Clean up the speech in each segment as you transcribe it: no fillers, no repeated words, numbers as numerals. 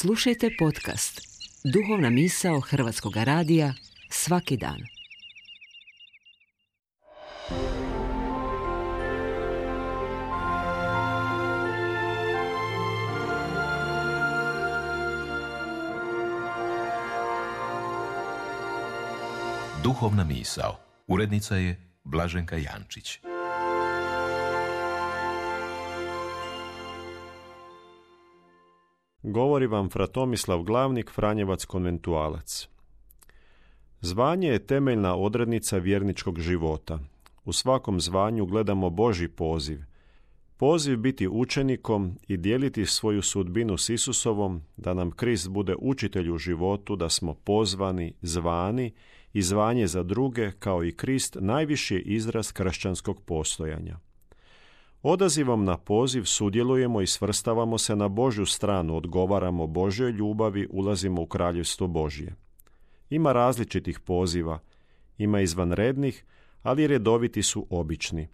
Slušajte podcast Duhovna misao Hrvatskog radija svaki dan. Duhovna misao. Urednica je Blaženka Jančić. Govori vam fra Tomislav Glavnik, Franjevac konventualac. Zvanje je temeljna odrednica vjerničkog života. U svakom zvanju gledamo Božji poziv. Poziv biti učenikom i dijeliti svoju sudbinu s Isusovom, da nam Krist bude učitelj u životu, da smo pozvani, zvani i zvanje za druge, kao i Krist, najviši je izraz kršćanskog postojanja. Odazivom na poziv sudjelujemo i svrstavamo se na Božju stranu, odgovaramo Božjoj ljubavi, ulazimo u kraljevstvo Božje. Ima različitih poziva, ima izvanrednih, ali redoviti su obični.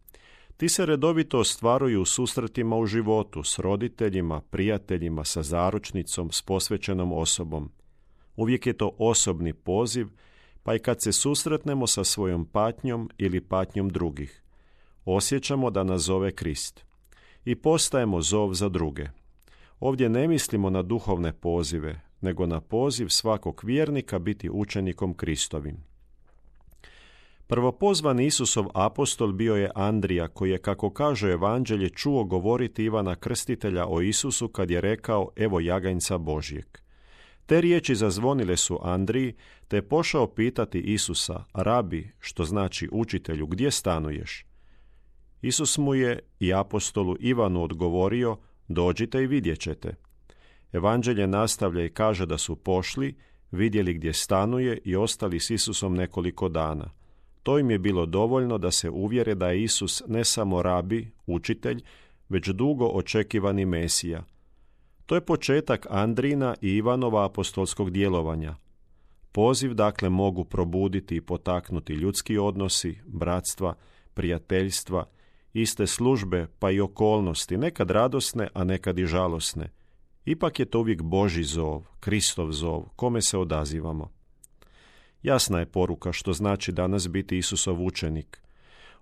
Ti se redovito ostvaruju u susretima u životu s roditeljima, prijateljima, sa zaručnicom, s posvećenom osobom. Uvijek je to osobni poziv, pa i kad se susretnemo sa svojom patnjom ili patnjom drugih. Osjećamo da nas zove Krist i postajemo zov za druge. Ovdje ne mislimo na duhovne pozive, nego na poziv svakog vjernika biti učenikom Kristovim. Prvopozvani Isusov apostol bio je Andrija, koji je, kako kaže Evanđelje, čuo govoriti Ivana Krstitelja o Isusu kad je rekao: evo jaganjca Božjeg. Te riječi zazvonile su Andriji, te je pošao pitati Isusa: rabi, što znači učitelju, gdje stanuješ? Isus mu je i apostolu Ivanu odgovorio: dođite i vidjet ćete. Evanđelje nastavlja i kaže da su pošli, vidjeli gdje stanuje i ostali s Isusom nekoliko dana. To im je bilo dovoljno da se uvjere da je Isus ne samo rabi, učitelj, već dugo očekivani Mesija. To je početak Andrijina i Ivanova apostolskog djelovanja. Poziv dakle mogu probuditi i potaknuti ljudski odnosi, bratstva, prijateljstva, iste službe pa i okolnosti, nekad radosne, a nekad i žalosne. Ipak je to uvijek Božji zov, Kristov zov, kome se odazivamo. Jasna je poruka što znači danas biti Isusov učenik.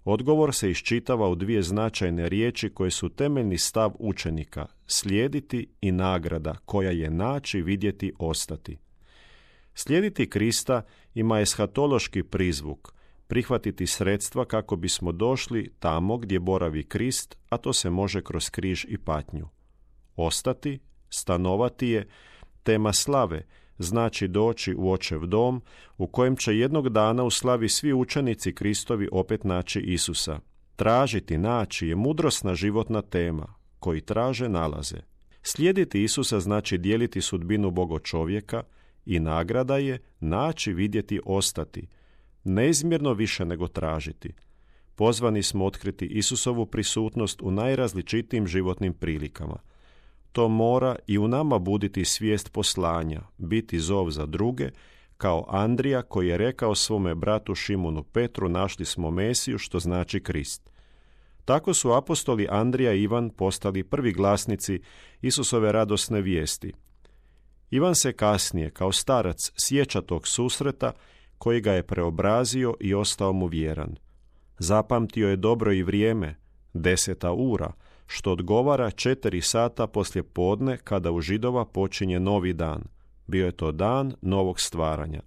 Odgovor se iščitava u dvije značajne riječi koje su temeljni stav učenika: slijediti i nagrada, koja je naći, vidjeti, ostati. Slijediti Krista ima eshatološki prizvuk, prihvatiti sredstva kako bismo došli tamo gdje boravi Krist, a to se može kroz križ i patnju. Ostati, stanovati je tema slave, znači doći u Očev dom, u kojem će jednog dana u slavi svi učenici Kristovi opet naći Isusa. Tražiti, naći je mudrosna životna tema, koji traže, nalaze. Slijediti Isusa znači dijeliti sudbinu Boga čovjeka i nagrada je naći, vidjeti, ostati. Neizmjerno više nego tražiti. Pozvani smo otkriti Isusovu prisutnost u najrazličitijim životnim prilikama. To mora i u nama buditi svijest poslanja, biti zov za druge, kao Andrija koji je rekao svome bratu Šimunu Petru: našli smo Mesiju, što znači Krist. Tako su apostoli Andrija i Ivan postali prvi glasnici Isusove radosne vijesti. Ivan se kasnije, kao starac, sjeća tog susreta koji ga je preobrazio i ostao mu vjeran. Zapamtio je dobro i vrijeme, 10 ura, što odgovara 4 sata poslije podne, kada u Židova počinje novi dan. Bio je to dan novog stvaranja.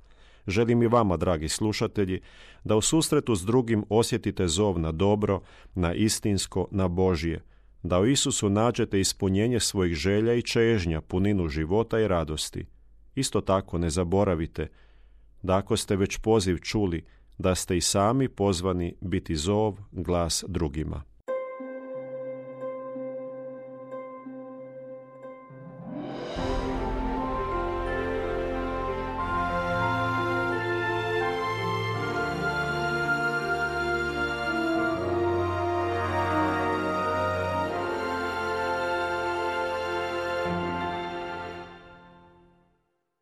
Želim i vama, dragi slušatelji, da u susretu s drugim osjetite zov na dobro, na istinsko, na Božje, da u Isusu nađete ispunjenje svojih želja i čežnja, puninu života i radosti. Isto tako ne zaboravite da ako ste već poziv čuli, da ste i sami pozvani biti zov, glas drugima.